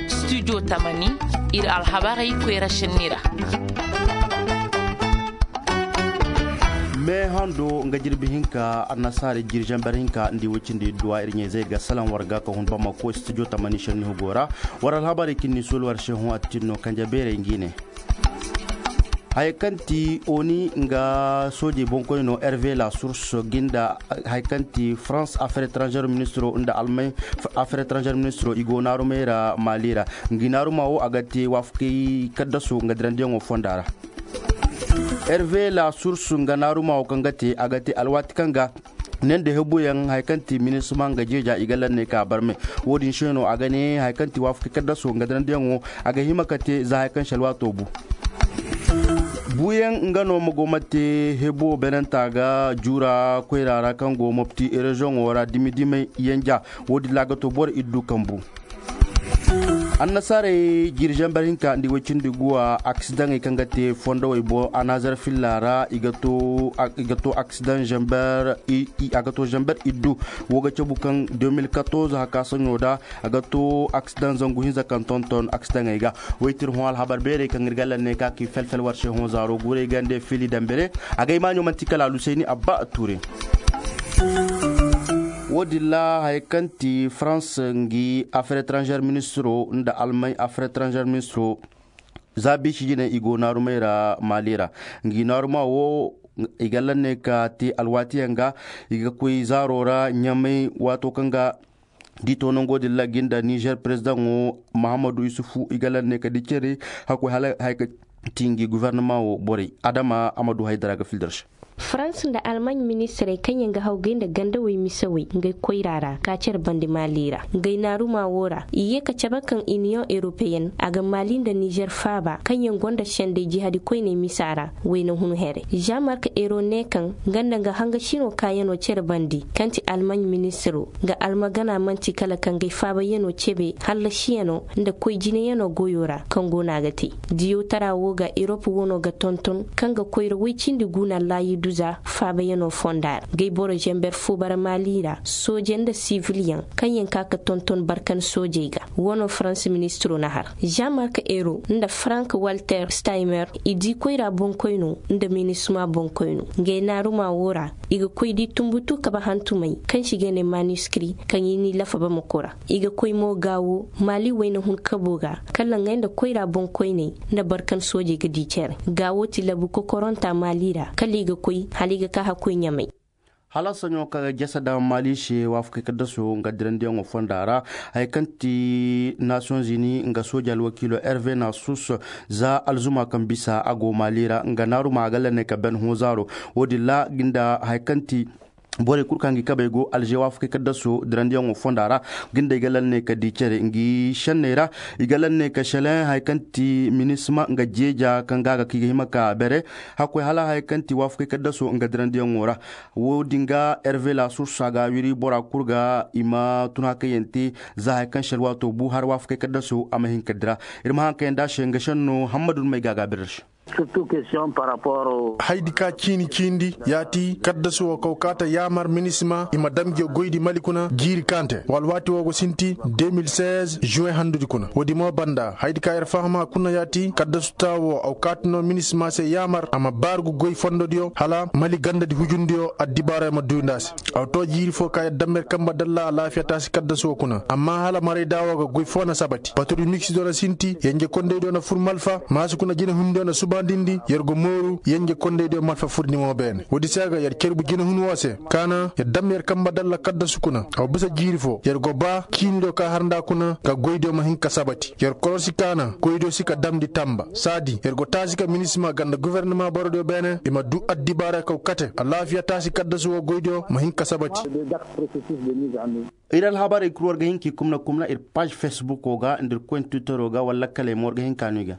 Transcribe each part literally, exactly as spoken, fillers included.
Studio tamani, iri alhabarey koyra senni ra. Me hando nga jirbi hinka annasaari jiri zamber hinka nda i way cindi idduwa iri ɲayzey ga salaŋ war ga ka hun bamako studio tamani senni hugo ra. War alhabarey kaŋ ni sooli war se hõ a tin no kanja beerey ngi ne. Haya kaŋ ti oni nga soojey boŋkoyno hervé la source ginda haya kaŋ ti france affaire étrangère ministro nda almay affaire étrangère ministro i go naarumey ra mali ra. Ngi naaruma wo a ga te waafakey kaddaso nga dirandiyaŋo fonda ra. Hervé la source nga naaruma wo kaŋ ga te a ga te alwaati kaŋ ga ne nda hebuyaŋ haya kaŋ ti minisma nga jeeja i ga lanney ka barmay. Wo-din se no a ga ne haya kaŋ ti waafakey kaddaso nga dirandiyaŋo a ga hima ka te za haya kaŋ se alwaato bu. Buuyaŋ nga no ma go ma te hebo beenanta ga juura koyra ra kaŋ go mopti rezoŋo ra dimi-dimey yanja. Wo-din ra a ga to boro iddu kambu. Annasaarey jiiri zamber hinka nda i way cindi guwa aksidaŋey kaŋ ga te fondowey boŋ anazar filla ra i ga to aksidaŋ zamber. A ga to zamber iddu. Wo ga cabu kaŋ deux mille quatorze haka saɲo da a ga to aksidaŋ zangu hinza kaŋ tonton aksidaŋey ga. Waytir hõ alhabar beerey kaŋ iri ga lanney ka ki fel-fel war se hõ zaaro guurey gande fili dambere. Agay maaɲo manti kala alusayni abba tuure. Wo-din ra haya kaŋ ti france ngi affaire étrangère ministro nda almay affaire étrangère ministro za biisi jine i go naarumey ra mali ra. Ngi naaruma wo i ga lanney ka te alwaatiyaŋ ga i ga koy zaaro ra ɲamay waato kaŋ ga di to nango din ra ginda nizer perezidaŋo mahammadu isufu i ga lanney ka di care. Hakkoy hala haya kaŋ ti ngi gufarnama wo borey adama a ma du haydara ga fildar se. France nda almaaɲ ministirey kaŋ yaŋ ga hawgay nda gandawey misawey ngey koyra ra ka care bande mali ra ngey naaruma wo ra i ye ka cabe kaŋ iniyoŋ eropeyenne a ga mali nda nizer faaba kaŋ yaŋ gonda sendey jihadi koyney misa ra. Wayna hun here jean mark ero ne kaŋ nga nda nga hangasino kaayano care bande kaŋ ti almaaɲ ministiro nga almagana manti kala ka ngey faabayaŋo cebe hallasiyano nda koy jinayano goyo ra kaŋ go no a ga te. Diyootara wo ga erop wano ga tonton kaŋ ga koyra way cindi guna laayi duza faabayano fonda ra gay boro zamber fo bara mali ra sooje nda siviliyaŋ kaŋ yaŋ ka ga tonton barkan soojey ga. Wano faransa ministiro na har jean mark ero nda frank walter steimer i di koyra boŋkoyno nda minisma boŋkoyno ngey naaruma wo ra i ga koy di tumbutu kabe hantumey kaŋ si ga ne manuskri kaŋ i n'i lafa bamako ra. I ga koy mo gaawo mali wayna hun kabo ga kala ngey nda koyra boŋkoyney nda barkan soojey ga di care gaawo ti labu kokoronta mali ra kala i ga koy hala i ga ka hakkoy ɲamay. Hala saɲo kaŋ ga jasa daŋ mali se waafakey kaddaso nga dirandiyaŋo fonda ra. Haya kaŋ ti nations unis nga sooja alwakiilo hervé na sus za alzuma kaŋ bisa a go mali ra nga naaruma a ga lanney ka ben hõ zaaro. Wo-din ra ginda haya kaŋ ti borey kulu kaŋ ga i kabey go alze waafakey kaddaso dirandiyaŋo fonda ra. Ginda i ga lanney ka di care ngi senney ra. I ga lanney ka seleŋ haya kaŋ ti minisma nga jeeja kaŋ ga a ga ka i ga hima ka bere. Hakkoy hala haya kaŋ ti waafakey kaddaso nga dirandiyaŋo ra. Wo-din ga hervé la source a ga wiri bora kulu ga i ma tun hakayyaŋ te za haya kaŋ se alwaato bu har waafakey kaddaso a ma hin ka dira. Iri ma haŋ kaŋ yaŋ da se nga senno hammadu may ga a ga bere se. Surtout question par rapport au. Haydi ka ciini ciindi yaati kaddasu wo kaw kaata yaamar minisma i ma damje goydi mali kuna jiiri kaante wala waati wo go sinti deux mille seize juin handudi kuna woodi mo banda haydi ka iri fahama kuna yaati kaddasu taawo aw kaatino minisma se yaamar a ma baargu goy fondodiyo hala mali gandadi hujundiyo addibaaro ay ma duundi a se. Aw to jiiri fo ka yadda ma iri kamba dalla alaafiya taasi kaddasu wo kuna amma hala maray daawo ga goy fo na sabati paturi miksi do na sinti yanje kondey do na fur malfa maasu kuna jina hundi do na subandindi yer go mooru yanje kondey do malfa furndi mo beene woodi se ga yer cerbu jina hun wo se kaana yadda ma yer kamba dalla kaddasu kuna aw bisa jiiri fo yer go ba ciini do ka har nda kuna ka goy do ma hin ka sabati yer korosi kaana goy do si ka damndi tamba saadi yer go taasi ka minisma ganda guvernama borodiyo beene i ma du addibaara kaw kate alaafiya taasi kaddasu wo goydiyo ma hin ka sabati. Iri alhabarey kulu war ga hin k'i kumna kumna iri paaž fesbuko ga nda iri koyne twittero ga wala lakkaley mo war ga hin ka no i ga.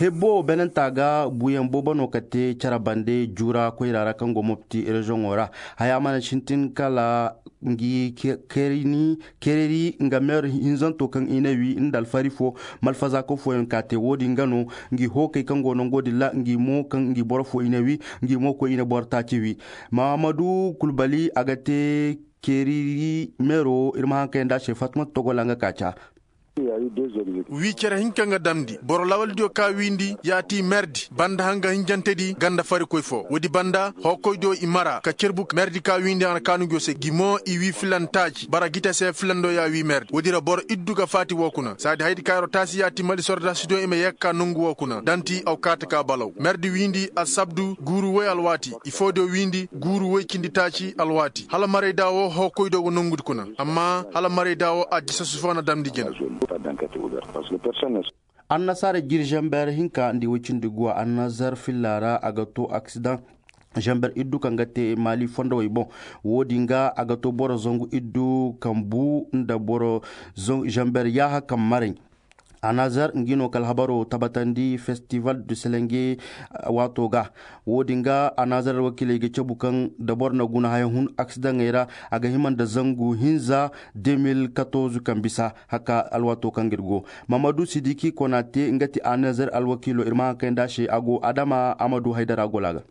Hebbo beenanta ga buuyaŋ boobo no ka te care bande juura koyra ra kaŋ go mopti rezoŋo ra. Haya mana sintin kala ngi kereni kereri nga meer hinzanto kaŋ i ne wi nda alfari fo malfazaako fooyaŋ ka te wo-din ga no ngi hookey kaŋ go nango din ra ngi mo kaŋ ngi boro fo i ne wi ngi mo koy i ne boro taaci wi. Mahamadu kulbali a ga te Ceeriri meero iri ma haŋ kayandi a se fatimata togola nga kaaca. Wi care hinka nga damndi boro lawaldiyo ka wiindi ya ti merdi banda hanga hinjantedi ganda farikoy fo woodi banda hookoydiyo i mara ka cerbu merdi ka wiindi a na kaanu nguyo se gi mo i wi filantaaci bara gita se filando ya wi merdi woodi ra boro iddu ga faati wo kuna saadi haydi ka yaro taasi ya ti mali sordaasidiyo i ma ye ga ka nongu wo kuna danti aw kaata ka balaw merdi wiindi alsabdu guuru woy alwaati ifoodiyo wiindi guuru woy cindi taaci alwaati hala maray da wo hookoy do go nongudi kuna amma hala maray da wo a disa sufana damndi jina. Annasaara jiri zamber hinka nda i woy cindi guwa annazar filla ra a ga to aksidan zamber iddu kaŋ ga te maali fondowey boŋ. Wo- din ga a ga to boro zangu iddu kaŋ bu nda boro zamber yaaha kaŋ maray. Anazar ngi no ka alhabaro tabatandi festival du selenge. Waato ga wo- din ga anazar alwakiiley ga cabu kaŋ da boro na guna haya hun aksidaŋey ra a ga hima nda zangu hinza. De mil katorze kaŋ bisa haka alwaato kaŋ ga iri go. Mamadu sidiki konate nga ti anazar alwakiilo iri ma haŋ kayandi a se a go adama amadu haydara gola ga.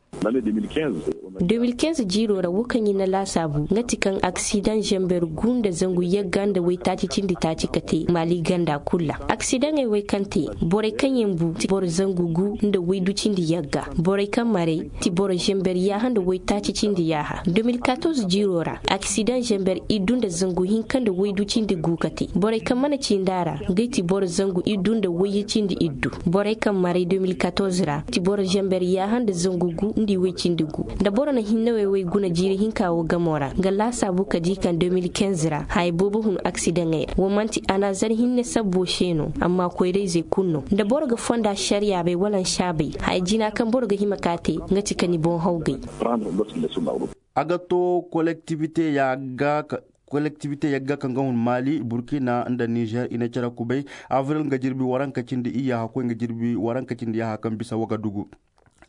De mil kinze jiiro ra wo kaŋ i na laasaabu nga ti kaŋ aksidaŋ zamber gu nda zangu yagga nda waytaaci cindi taaci ka te maali ganda kulu ra aksidaŋey wey kaŋ te borey kaŋ yaŋ bu ti boro zangu gu nda waydu cindi yagga borey kaŋ maray ti boro zamber yaaha nda waytaaci cindi yaaha de mil katorze jiiro ra. Aksidaŋ zamber iddu nda zangu hinka nda waydu cindi gu ka te borey kaŋ mana cindi a ra ngey ti boro zangu iddu nda wayye cindi iddu. Borey kaŋ maray de mil katorze ra ti boro zamber yaaha nda zangu gu nda i way cindi gu. Da boro na hinne wey way guna jiiri hinka wo gamo ra nga laasaabu ka di kaŋ de mil kinze ra haya boobo hun aksidaŋey ra wo manti anazar hinne sabbo se no amma koyrayzey kulu no da boro ga fonda sariyaabey wala nsaabey haya jina kaŋ boro ga hima ka te nga ti ka ni boŋ hawgay. A ga to kolektivite yagga kaŋ ga hun maali burkina nda nizer i na care kubay avril nga jirbi waranka cindi iyya hakkoy nga jirbi waranka cindi yaaha kaŋ bisa wagadugu.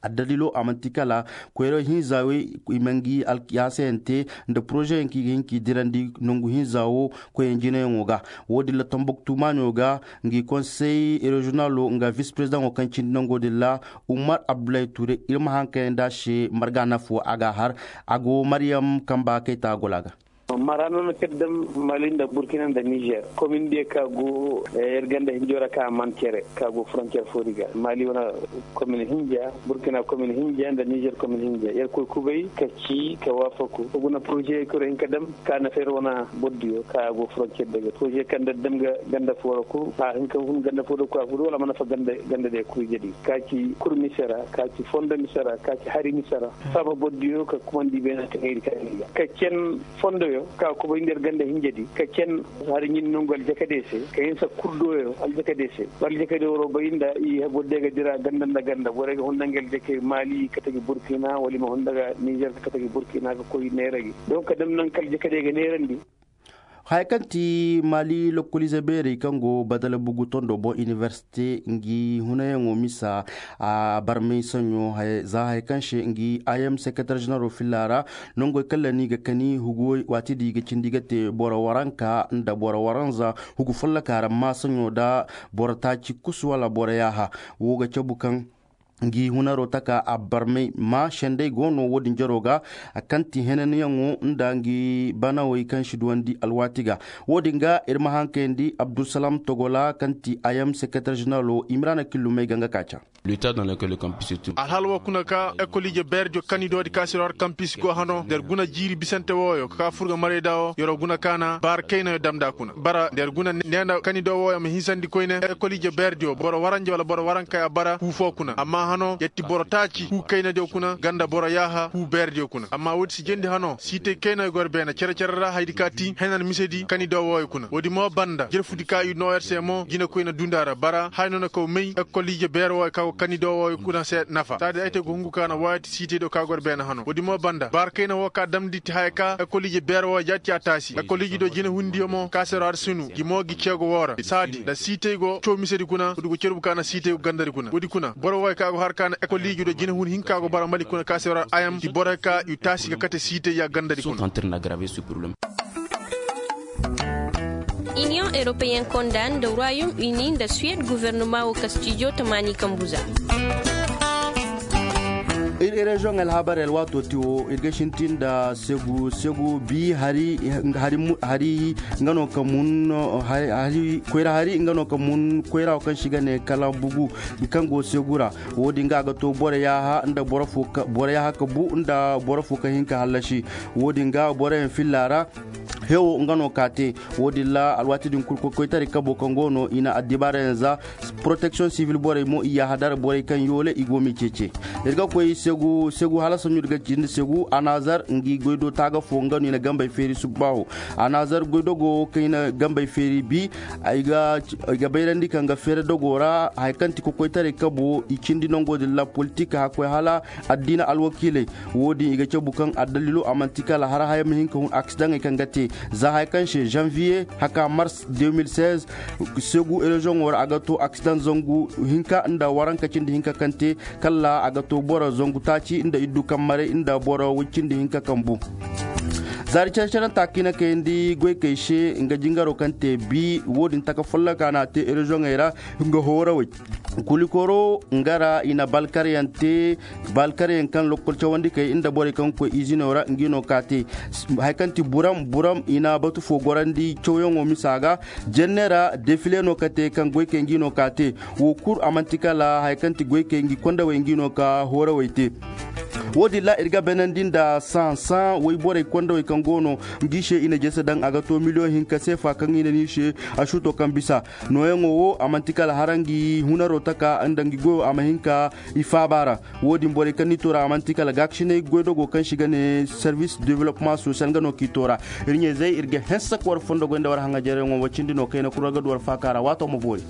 Addalilo a manti kala koyro hinza wey i ma ngi alkiyasayante nda poroze yaŋ kaŋ i ga hin ka i dirandi nangu hinza wo koy yaŋ jinayaŋo ga. Wo- din la tambuktu maaɲo ga ngi konsey reziyonalo nga vis perezidaŋo kaŋ cindi nango din ra. Umar abdullahi ture iri ma haŋ kayandi a se marga nafo a ga a har a go maryam kamba kayta gola ga. Mara no na kala dam mali nda burkina nda nizer komin diya ka go iri ganda hinjo ra ka man cere ka go frontier fo di ga mali wane komin hinja burkina komin hinja nda nizer komin hinja iri koy kubay ka ci ka wafaku ko guna projet kuro hinka dam ka na fer wane boddiyo ka go frontier daga projet kaŋ da dam ga ganda fo ra kulu a hinka hun ganda fo da kwa furu wala mana fa ganda ganda da kuru jadi ka ci kurmi sera ka ci fondo misera ka ci hari misera saba boddiyo ka kumandi bena ka heri ka heri ka cen fondoyo ka kubay nder ganda hinjadi ka cen hari ɲin nongu aljakade se ka hinsa kurdoyo aljakade se aljakade woro bayinda i bodde ga dira ganda nda ganda borey ga hunda ngal jake mali ka tagi burkina wala i ma hunda ga niger ka tagi burkina ka koy neeragi donc ka dam nan kal jakade ga neerandi. Haya kaŋ ti mali lokkolize beerey kaŋ go badala bugu tondo boŋ iniversite ngi hunayaŋo misa a barmay saɲo za haya kaŋ se ngi ayam sekretar zenero filla ra nongoy kala ni ga kani huguwey waati di ga cindi ga te boro waranka nda boro waranza hugu folloka ra ma saɲo da boro taaci kusu wala boro yaaha wo ga cabu kaŋ ngi hunaro taka a barmay ma sendey go no wo- din jaro ga kaŋ ti henanyaŋo nda ngi banawey kaŋ si duwandi alwaati ga. Wo- din ga iri ma hankayandi abdulsalam togola kaŋ ti ayam sekretar zenero imrana killumey ga nga ka ca. Alhala wo kuna ka ekoliije beerjo kanidoodi ka siro har kampis go hano nda iri guna jiiri bisante wooyo ka fur ga maray da wo yoro guna kaana baara kaynayo damnda kuna bara nda iri guna neena kanido wooyo ma hinsandi koyne ekoliije beerjo boro waranje wala boro waranka ya bara hu fo kuna amma hano ya ti boro taaci hu kaynadiyo kuna ganda boro yaaha hu beerdiyo kuna amma woodi si jendi hano siitay kaynayo goro beene cere-cere ra haydi ka ti henan misedi kanido wooyo kuna woodi mo banda jerfudi ka i no yer se mo jinekoyna dunda ra bara hay no na kaw may ekoliije beero wooyo ka go kanido wooyo kuna se nafa saadi ay te go hungu ka na waati siitay do ka goro beene hano woodi mo banda baara kayna wo ka damndi ti haya ka ekoliije beero wooyo jaati a taasi ekoliije do jinehundiyo mo ka se ro har sinu gi mo gi ceego woo ra saadi nda siitay go caw misedi kuna woodi go cerbu ka na siitay go gandari kuna woodi kuna boro wooyo ka go har ka na ekoliije do jinehun hinka go bara mali kuna ka se ro har ayam i borey ka i taasi ga kate siitay ya gandari kuna. Union européen konda nda royaume uni nda suède gouvernement wo kastijo tamaani kambuza. Reziyoŋ alhabarey alwaato ti wo iri ga sintin nda segu segu bi hari hari hari nga no ka mun hari koyra hari nga no ka mun koyra wo kaŋ se i ga ne kala bugu kaŋ go segu ra. Wo- din ga a ga to boro yaaha nda boro fo ka bu nda boro fo ka hin ka hallasi. Wo- din ga boro yaŋ filla ra hewo nga no ka te. Wo- din ra alwaati din kulu koykoytaray kabo kaŋ go no i na addibaara yaŋ za. Poroteksiyoŋ sivil borey mo i yaaha dara borey kaŋ yoole i go m'i ceece. Iri ga koy segu segu hala sanju iri ga cindi segu anazar ngi goydo taaga fo nga no i na gambey feeri subbaaho. Anazar goydogo kaŋ i na gambey feeri bi i ga bayrandi kaŋ ga feere dogo ra hari kaŋ ti kokoytaray kabo i cindi nango din ra politik hakkoy hala addiina alwakiiley. Wo- din i ga cabu kaŋ addalilo a manti kala hara haya ma hin ka hun aksidaŋey kaŋ ga te za haya kaŋ se zanviye haka mars deux mille seize. Segu reziyoŋo ra a ga to aksidaŋ zangu hinka nda waranka cindi hinka kaŋ te kala a ga to boro zangu taaci nda iddu kaŋ maray nda boro way cindi hinka kaŋ bu. Zaari care-caranta kaŋ i na kayandi goykey se nga jingaro kaŋ te bi wo- din taka folloka no a te reziyoŋey ra nga hoorawey. Kulikoro nga ra i na balkaryaŋ te balkaryaŋ kaŋ lokkol cawandi kay nda borey kaŋ ga koy izino ra ngi no ka te. Hari kaŋ ti buram buram i na batu fo gorandi cawyaŋo misa ga. Jenne ra defile no ka te kaŋ goykey ngi no ka te. Wo kulu a manti kala hari kaŋ ti goykey ngi kondawey ngi no ka hoorawey te. Wo- din ra iri ga beenandi nda sããsã wayborey kondawey kaŋ go no ngi se i na jese daŋ a ga to miliyoŋ hinka seefa kaŋ i na ni se. Asuuto kaŋ bisa nooyaŋo wo a manti kala hara ngi hunaro taka nda ngi goyo a ma hin ka i faaba ra. Wo- din borey kaŋ n'i to ra a manti kala gaakasinay goydogo kaŋ se i ga ne servis development sosiyal nga no k'i to ra. Iri ɲayzey iri ga hanse ka war fondo goy nda war haŋajaryaŋo wo cindi no kayna kulu war ga du war faaka ra waato ma boori.